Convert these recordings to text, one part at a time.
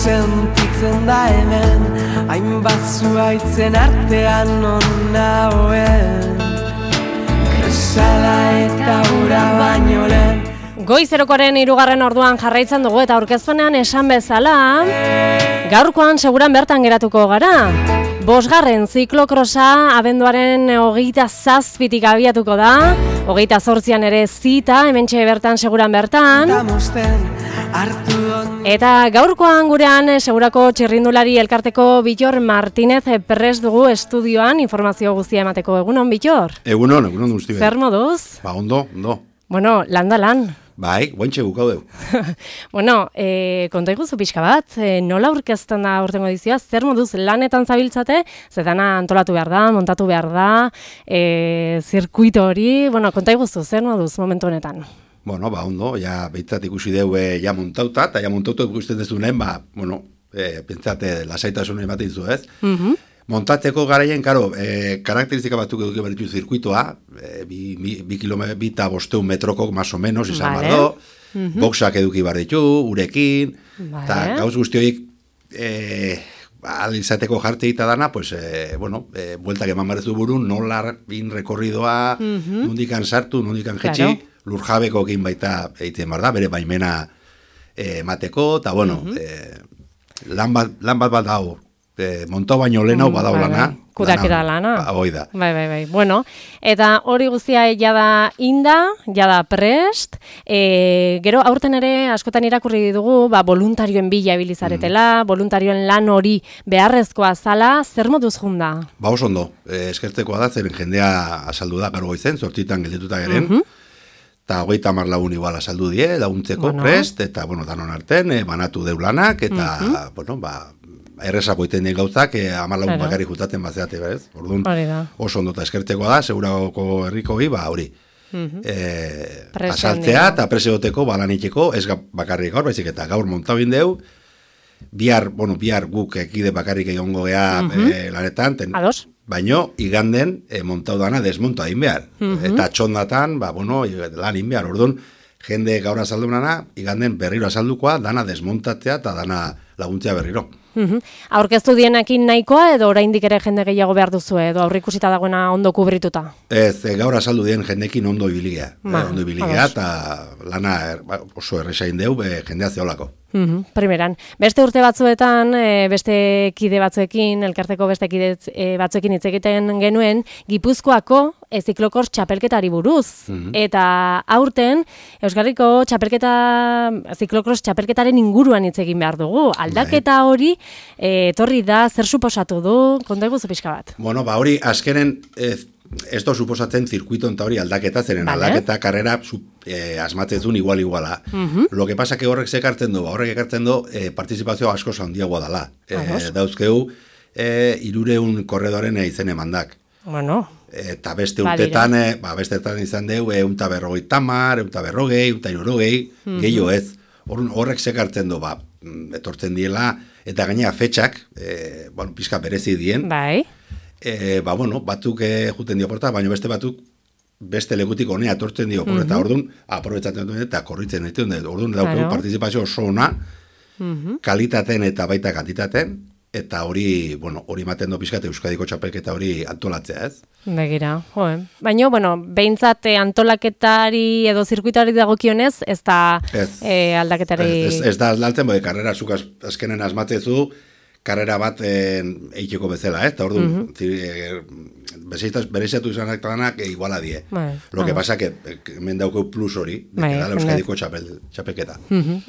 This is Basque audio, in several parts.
sentitzen da hemen, hainbat zuaitzen artean non nagoen. Kresala eta ura baino lehen. Goizerokoaren 3. orduan jarraitzen dugu eta aurkezpenean esan bezala, gaurkoan seguran bertan geratuko gara. 5. ziklokrosa abenduaren 27tik abiatuko da, 28an ere zita, hementxe bertan seguran bertan. Eta gaurkoan gurean segurako txirrindulari elkarteko Bittor Martinez prest dugu estudioan informazio guztia emateko. Egunon, Bittor? Egunon guzti. Zer moduz? Ba, ondo. Bueno, lan. Bai, guantxe bukau deu. Bueno, konta iguzu pixka bat, nola aurkezten da urtengo edizioa, zer moduz lanetan zabiltzate, zetana antolatu behar da, montatu behar da, zirkuito hori, bueno, konta iguzu, zer moduz momentu honetan? Bueno, ba, ondo, ja, behitzat ikusi deu ja montauta, eta ja montauta ikusten dezunen, ba, bueno, pentsate lasaitasun ematen zu, ez? Montatzeko garaien, karo, karakteristika batzuk eduki behar ditu zirkuitoa, 2,5 metroko, más o menos, izan behar do, boxak eduki behar ditu, urekin, eta gauz guzti horiek, izateko jartze eta dana, pues, bueltak eman barezu burun, nola bin rekorridoa, nondikan sartu, nondikan jetxi, lurjabeko egin baita egiten behar da, bere baimena mateko, eta, bueno, lan bat dago, montau baino lehenau badau lana. Kudaketa lana. Hoi da. Bai. Bueno, eta hori guztia jada inda, jada prest, gero aurten ere askotan irakurri dugu, voluntarioen bila ibilizaretela, voluntarioen lan hori beharrezkoa zala, zer moduz junda? Ba, oso ondo, eskertzekoa da, zeren jendea azaldu da, garo goizen, 8 geldituta geren, eta 30 lagun igual azaldu die, laguntzeko prest, eta, bueno, danon arten, banatu deu lanak, eta, bueno, erresa poiten den gauzak, 10 lagun bakarrik jutaten bazeate, ez? Orduan, oso ondo eta eskertzekoa da, segurako herriko hori, asaltzea eta preseoteko, balaniteko, ez bakarrik gaur, baizik eta gaur montabin deu, bihar guk ekide bakarrik egongo gea lanetan, baino, iganden montau dana desmonta egin behar. Eta txondatan, lan egin behar. Orduan, jende gaur azaldunana, iganden berriro azaldukoa, dana desmontatzea eta dana laguntzea berriro. Aurkeztu dienekin nahikoa edo oraindik ere jende gehiago behar duzu edo aurrikusita dagoena ondo kubrituta? Ez, gaur azaldu dien jendekin ondo ibiligea. Ondo ibiligea eta lana oso erresain deu jendea zeolako. Primeran. Beste urte batzuetan, beste kide batzuekin, elkarteko beste kide batzuekin hitz egiten genuen, Gipuzkoako ziklokors txapelketari buruz. Eta aurten, Euskarriko ziklokros txapelketaren inguruan hitz egin behar dugu. Aldaketa hori, etorri da, zer suposatu du, konta eguzu pixka bat? Bueno, hori azkenen ez da suposatzen zirkuito eta hori aldaketa, zeren aldaketa karrera asmatzezun iguala. Lo que pasa que horrek sekartzen du, partizipazioa asko handiagoa dela. Dauzkeu 300 korredoren izen emandak. Bueno. Eta beste urtetan, bestetan izan deu, 150, 140, 160, gehiago ez. Horrek sekartzen du, etortzen diela, eta gainera fetxak, pizka berezi dien. Bai. Batzuk juten dio porta, baina beste batzuk beste lekutik honea etortzen dio porta, orduan, aprobetzatzen duen eta korritzen ditu, orduan daukegu partizipazio oso ona, kalitaten eta baita kantitaten, eta hori ematen do pizkat Euskadiko txapelketa hori antolatzea, ez? Begira, baina, behintzat antolaketari edo zirkuitari dagokionez, ez da aldaketari... Ez da aldaltzen, karrera zuk azkenen asmatzezu, karrera bat eiteko bezala, eta orduan, bereziatu izanak danak iguala die. Lo que pasa que hemen daukeu plus hori, dela Euskadiko txapelketa.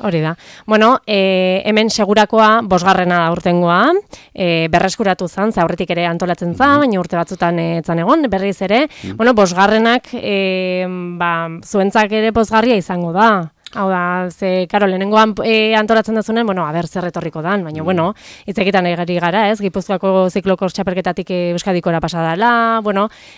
Hori da. Bueno, hemen segurakoa 5. aurtengoa, berreskuratu zan, aurretik ere antolatzen zan, baina urte batzutan etzan egon, berriz ere, 5. zuentzak ere pozgarria izango da. Hau da, karo, lehenengoan antolatzen dazunen, zer etorriko dan, baina, hitz egiten egari gara, ez? Gipuzkoako ziklokors txapelketatik Euskadikora pasadala,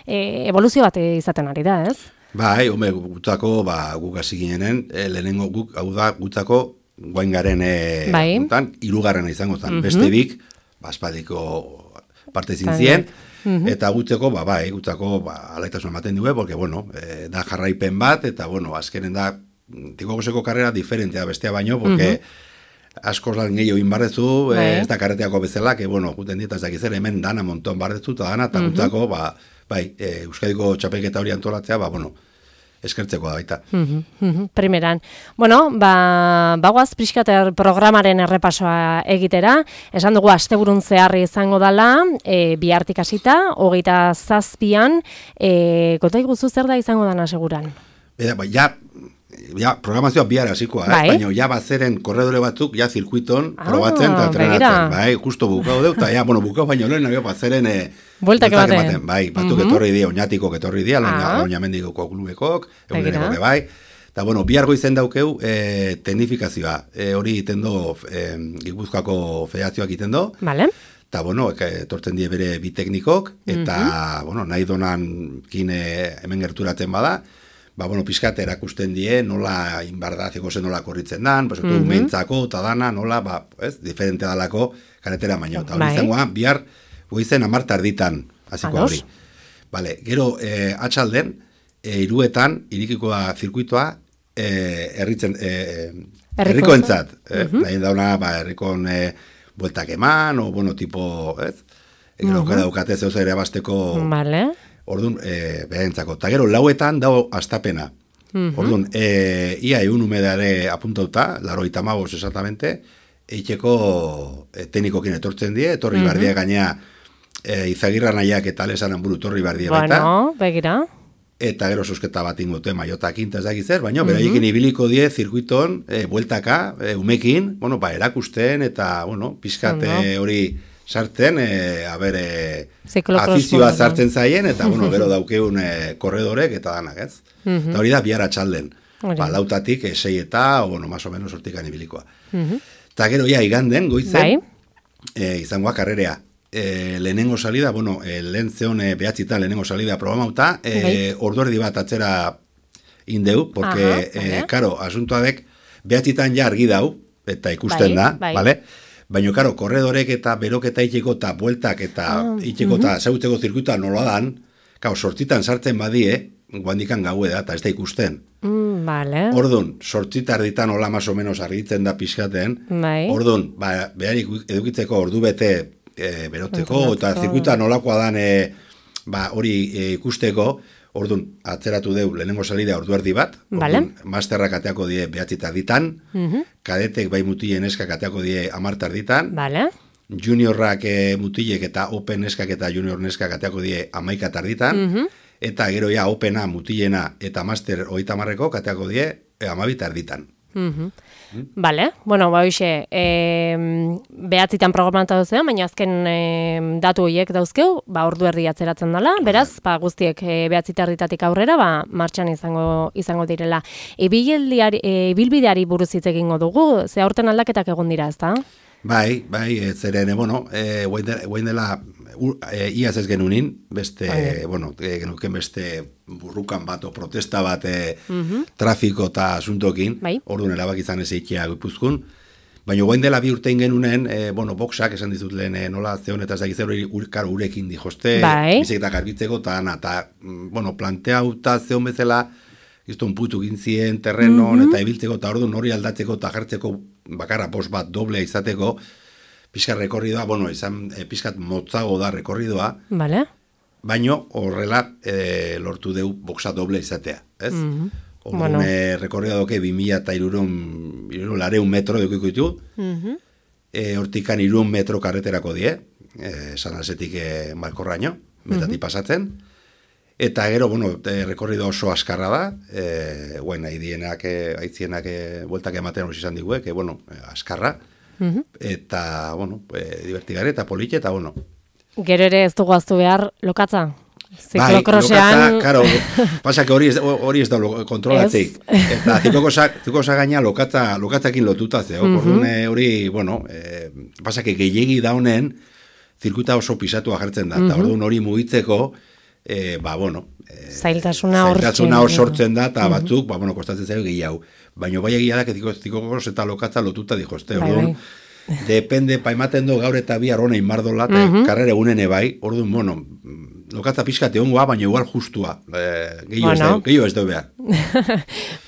evoluzio bat izaten ari da, ez? Bai, gutako, guk hasi ginenen, lehenengo guk, hau da, gutako, guain garen, 3. izango zen, beste bik, aspadiko parte zintzien, eta gutzeko, gutzako, alaitasun ematen dugu, porque, da jarraipen bat, eta, azkenen da, Tikogoseko karrera diferentea bestea baino, porque askoz lan gehiago inbarrezu, ez da karreteako bezala, que, bueno, guten dieta ez dakiz ere, hemen dana monton barrezu, eta dana, eta gutzako, Euskadiko txapelketa hori antolatzea, bueno, eskertzeko da baita. Primeran. Bueno, bagoaz pixkat programaren errepasoa egitera, esan dugu asteburun zeharri izango dela, bihartik hasita, 27an, konta iguzu zer da izango dana seguran? Ja, programazioa bihar hasikoa, baina ja bazeren korredore batzuk, ja zirkuiton, probatzen eta entrenatzen, bai, justo bukau deu, eta ja, bukau baino lehen, bazeren bueltak ematen, bai, batzuk etorri dia, oinatikok etorri dia, oinamendikoko klubekok, eguneroko bai, eta, bihar goizen daukeu teknifikazioa, hori itendo, Gipuzkoako federazioak itendo, vale. Eta, etortzen die bere bi teknikok, eta, nahi donan kine hemen gerturatzen bada, pixkat erakusten die, nola inbardaziko zen nola korritzen dan, mentzako, eta dana, nola, diferente dalako karetera baino. Eta hori izangoa, bihar, goizen 10 tarditan, hasiko hori. Gero, atxalden, iruetan, irikiko da zirkuitoa, herrikoentzat. Nahi dauna, herrikon bueltak eman, o, tipo, gero, gara daukate zeuz ere abasteko... Vale. Orduan, beharentzako. Eta gero, 4etan dago astapena. Orduan, ia egun humedare apuntauta, 85 exactamente, eitxeko teknikokin etortzen die, etorri bardia gaina Izagirra nahiak eta lesanan buru torri bardia baita. Bueno, begira. Eta gero sosketa bat ingote maiotakin, eta ez dakiz zer, baina beraiekin ibiliko die zirkuiton, bueltaka, umekin, erakusten, eta, pizkate hori... sartzen, afizioa sartzen zaien, eta, gero daukeun korredorek eta danak, ez? Eta hori da, bihar atxalden. Lautatik, 6 eta, más o menos hortikan ibilikoa. Eta gero, iganden, goizen, izangoa karrerea. Lehenengo salida, lehen zeon behatzitan lehenengo salida programauta, orduerdi bat atzera indeu, porque, karo, asuntoadek, behatzitan ja argi dau, eta ikusten da, bale? Baina, karo, korredorek eta beroketa itxeko eta bueltak eta itxeko eta zautzeko zirkuita nola dan, karo, sortzitan sartzen badie, guandikan gaue da, eta ez da ikusten. Vale. Orduan, sortzitar ditan hola más o menos argitzen da pixkaten. Orduan, behar edukitzeko ordu bete berotzeko, eta zirkuita nolakoa dan hori ikusteko, orduan, atzeratu deu lehenengo salida orduerdi bat, masterrak ateako die 9 tarditan, kadetek bai mutilen eskak ateako die 10 tarditan, juniorrak mutilek eta open eskak eta junior neskak ateako die 11 tarditan, eta gero ja opena mutilena eta master 30ko ateako die 12 tarditan. Vale, hoxe, behatzitan programata duzean, baina azken datu horiek dauzkeu, ordu erdi atzeratzen dela, beraz, guztiek behatzitarditatik aurrera, martxan izango direla. Ibilbideari buruz hitz egingo dugu, ze aurten aldaketak egon dira, ezta? Bai, zeren, guain dela, iaz ez genunin, beste, genuken beste burrukan bat o protesta bat trafiko eta asuntokin, orduan erabak izan ez eikia Gipuzkoan, baina guain dela 2 urtein genunen, boxak esan dizut lehen nola zeon eta ez dakiz urekin dijoste, bizeketak argitzeko, eta planteauta zeon bezala, izton putu gintzien terrenon, eta ibiltzeko, eta orduan hori aldatzeko, eta jartzeko bakarra post bat doblea izateko, pixkat rekorridoa, izan pixkat motzago da rekorridoa, baina horrela lortu deu boxa doble izatea, ez? Orduan rekorridoa doke 2.300 metro dukiko ditu, hortikan 3 metro karreterako die, San Asetik Malkorraino, metatik pasatzen, eta gero, rekorrido oso askarra da, aitzienak bueltak ematen hori izan diguek, askarra, eta, divertigare eta politxe, eta, Gero ere ez dugu aztu behar lokatza? Ziklokrosean... Lokatza, karo, pasak hori ez da kontrolatzeik. Eta ziklokosa gaina lokatzakin lotuta zeo. Hori, pasak gehiegi daunen, zirkuita oso pisatua jartzen da. Eta orduan hori mugitzeko, zailtasuna hor sortzen da, eta batzuk, kostatzen zaio gehiago. Baina bai egia da, zikokos eta lokatza lotuta dijozte. Orduan, depende, paimaten do gaur eta bihar honein mardola, eta karrera egunene bai, orduan, lokatza pixkate ongoa, baina igual justua. Gehiago ez dugu behar.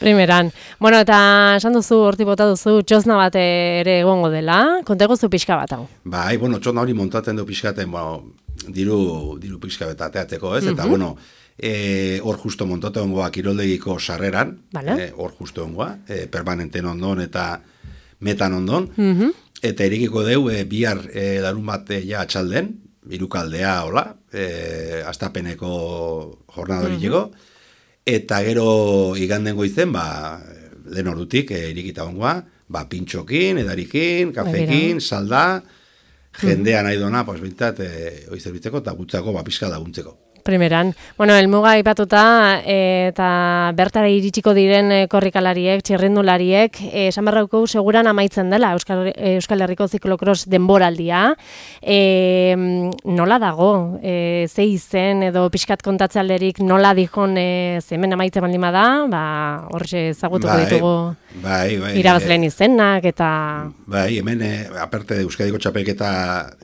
Primeran. Bueno, eta esan duzu, horti bota duzu, txosna bat ere egongo dela, kontegozu pixka bat hau. Bai, bueno, txosna hori montatzen du pixkaten, diru pixka bat ateatzeko, ez? Eta, bueno, hor justo montatu ongoa kiroldegiko sarreran, hor justo ongoa, permanenten ondon eta metan ondon, eta erikiko deu, bihar larun bat ja atxalden, irukaldea, hola, astapeneko jornadoriteko, eta gero iganden goizen, lehen ordutik irikita ongoa, pintxokin, edarikin, kafekin, salda, jendea nahi dona, bintzat, oizerbitzeko eta gutzako pixka laguntzeko. Primeran. Bueno, elmuga ipatuta eta bertara iritsiko diren korrikalariek, txirrindulariek, esan berrauko seguran amaitzen dela Euskal Herriko ziklokros denboraldia. Nola dago? Ze izen edo pixkat kontatzealderik nola dihon hemen amaitzen baldin bada, horre ezagutuko ditugu irabazleen izenak eta... Bai, hemen aparte de Euskadiko txapelketa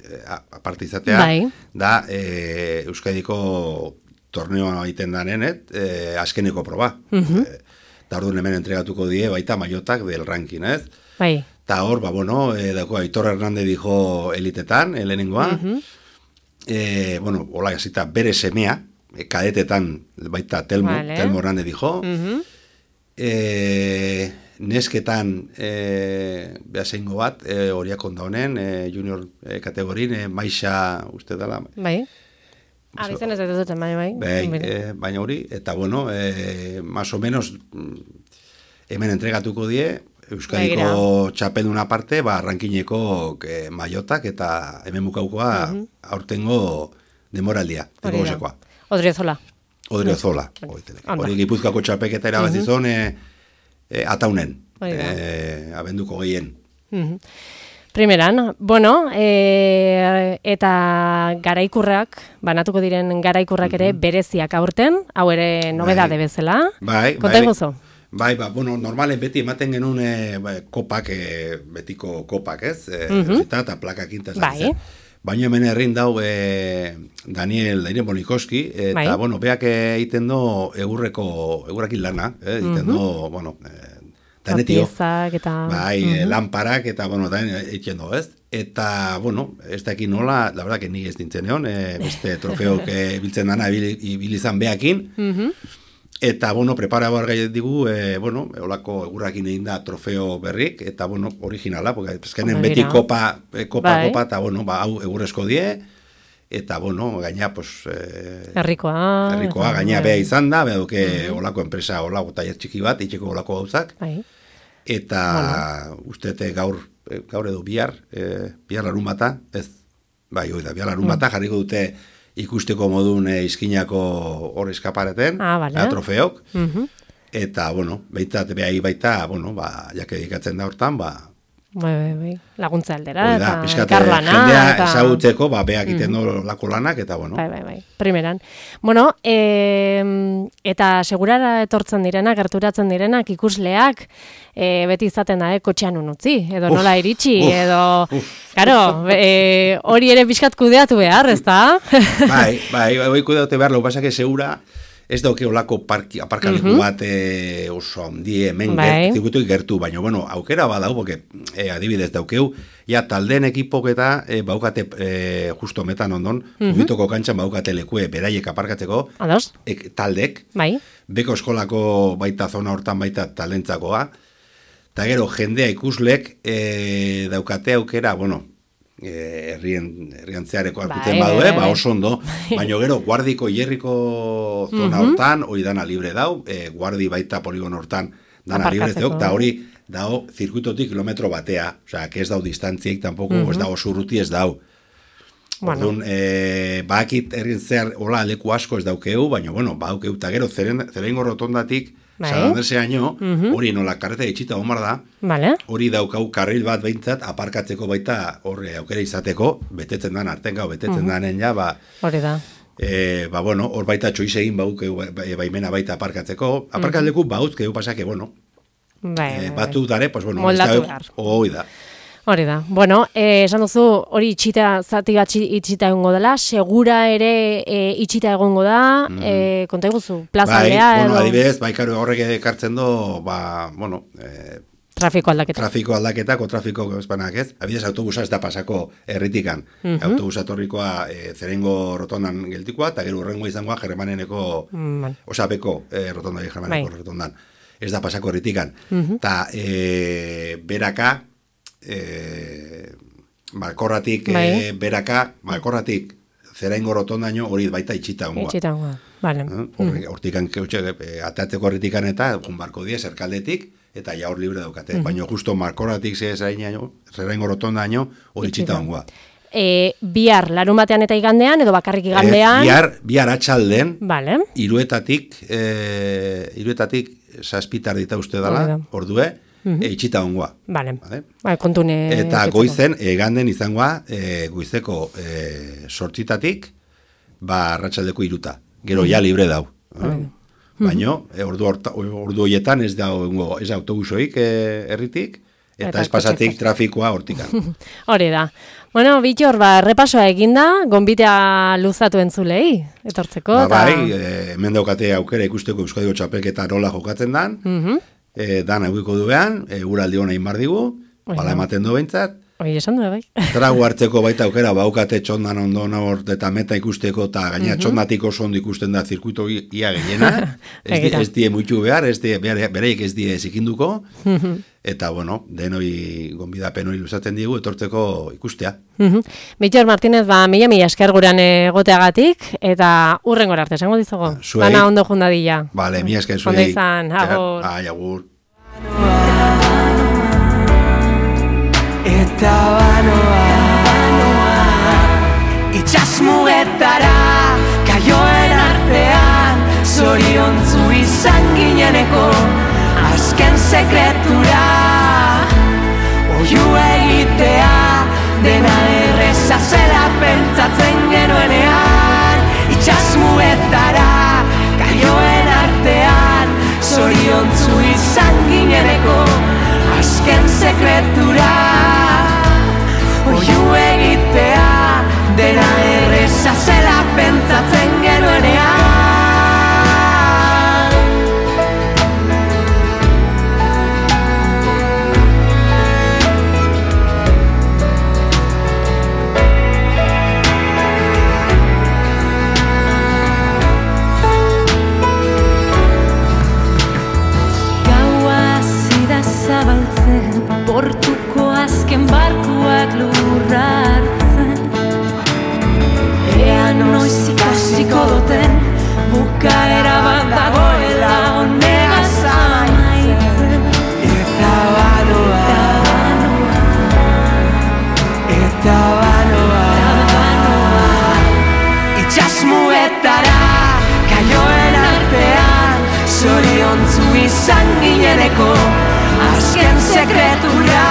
aparte izatea, da Euskadiko torneoa egiten danen, azkeneko proba. Eta orduan hemen entregatuko die, baita maiotak del ranking, ez? Bai. Eta hor, dako, Aitor Hernández dijo elitetan, lehenengoa. Hola, jasita, bere semea, kadetetan, baita Telmo Hernández dijo. Nesketan, behaseingo bat, horiak onda honen, junior kategorin, Maixa, uste dela. Bai. Abizen ez duten, baina hori, eta más o menos, hemen entregatuko die, Euskadiko txapelduna parte, rankineko maiotak, eta hemen bukaukoa aurtengo demoraldia. Odriozola. Hori Gipuzkoako txapeketa erabazizon ataunen, abenduko gehien. Primeran, eta garaikurrak, banatuko diren garaikurrak ere bereziak aurten, hau ere nobedade bezala. Konta iguzo? Normalen beti ematen genuen kopak, betiko kopak, ez? Eta plakak intaz. Baina hemen herrin dau Daniel Bonikoski, eta, beak egiten do egurrakin lana, egiten do, danetio, lamparak, eta, egiten do, ez? Eta, ez dakit nola, la verdad que ni ez dintzen egon, beste trofeok biltzen dana ibilizan beakin, eta, prepara bargai digu, holako egurrakin egin da trofeo berrik, eta, originala, porque ezkenen beti kopa, eta, hau egurrezko die, eta, gaina, herrikoa, gaina beha izan da, beha duke holako enpresa, holako taier txiki bat, itxeko holako gauzak, eta uste gaur edo bihar larun bata, bihar larun bata jarriko dute ikusteko modun izkinako hor eskapareten, trofeok, eta, behitzat behai baita, jake edikatzen da hortan, laguntza aldera, eta karlana. Jendea ezagutzeko, beak iten lako lanak, eta, primeran. Eta segurara etortzen direnak, gerturatzen direnak, ikusleak, beti izaten da, kotxean unutzi, edo nola iritsi, edo, hori ere pixkat kudeatu behar, ez da? Hoi kudeatu behar, lau pasak segura, ez dauke olako aparkaleku bat oso handi hemen zikutuik gertu, baina, aukera badau, porque adibidez daukeu, taldeen ekipok eta baukate justo metan ondon, ubitoko kantxan baukate lekue beraiek aparkatzeko, taldek, beko eskolako baita zona hortan baita talentzakoa, eta gero jendea ikuslek daukate aukera, herrian zehareko arkuten badue, oso ondo, baina gero guardiko hierriko zona hortan, hori dana libre dau, guardi baita poligon hortan dana libre zeok, eta hori dao zirkuitotik kilometro batea, osea, que ez dau distantziek, tampoko ez dau surruti ez dau. Orduan, bakit herrien zehar hola leku asko ez daukeu, baina, badaukeu, eta gero zerengo rotondatik, San Andreseaino, hori nola karreta itxita omar da, hori daukau karril bat behintzat, aparkatzeko baita horre aukera izateko, betetzen dan arten gau, betetzen danen ja, hori da. Hor baita txoiz egin baukeu baimena baita aparkatzeko, aparkatleku bauzkeu pasake, batu dare, moldatu behar. Hoi da. Hori da. Bueno, esan duzu, hori zati bat itxita egongo dela, segura ere itxita egongo da, konta iguzu, plazaldea edo... Adibidez, karo, horrek ekartzen du, trafiko aldaketa. Trafiko aldaketako, trafiko espanak ez. Adibidez, autobusa ez da pasako herritikan. Autobusa torrikoa Zerengo rotondan geltikoa, eta gero urrengo izangoa Jermaneneko, osapeko rotondari Jermaneneko rotondan. Ez da pasako herritikan. Eta beraka, Malkorratik Zerengo rotondaino hori baita itxita ongoa. Itxita ongoa, bale. Hortikan, atatzeko herritikan eta junbarko die zerkaldetik, eta ja hor libre daukate. Baina justo Malkorratik Zerengo rotondaino hori itxita ongoa. Bihar, larun batean eta igandean, edo bakarrik igandean? Bihar atxalden, vale. Iruetatik saspitar dita uste dela, ordue, itxita ongoa. Vale. Kontune... Eta goizen, ganden izangoa, goizeko 8:00 arratsaldeko 3:00. Gero ja libre dau. Baina, ordu horietan ez da autobusoik herritik, eta ez pasatik trafikoa hortikan. Hori da. Bueno, Bittor, repasoa eginda, gonbitea luzatu entzulei, etortzeko. Hemen daukate aukera ikusteko Euskadiko txapelketa nola jokatzen dan, dan eguiko duean, uraldi hona inbardigu, bala ematen du behintzat. Hoi, esan du, bai. Tragu hartzeko baita aukera, baukate txondan ondo hor eta meta ikusteko, eta gaina txondatik oso ondo ikusten da zirkuito ia gehiena, ez die muitu behar, bereik ez die zikinduko, eta, bueno, denoi gonbidapen hori luzatzen digu, etortzeko ikustea. Bittor Martínez, mila esker gurean egoteagatik, eta hurrengora arte, esango dizugu. Bana ondo jundadila. Bale, mila esker zuei. Ondo izan, agur. Agur. Eta banoa itxasmugetara kaioen artean zoriontzu izan gineneko azken sekretura oiu egitea dena erreza zela pentsatzen genuenean itxasmugetara kaioen artean zoriontzu izan gineneko azken sekretura oiu egitea dena erreza zela pentsatzen genuenean portuko azken barkuak lurra hartzen ea noiz ikasiko duten bukaera bat dagoela honegaz amaitzen eta banoa itxasmuetara kaioen artean zoriontzu izan gineneko azken sekretura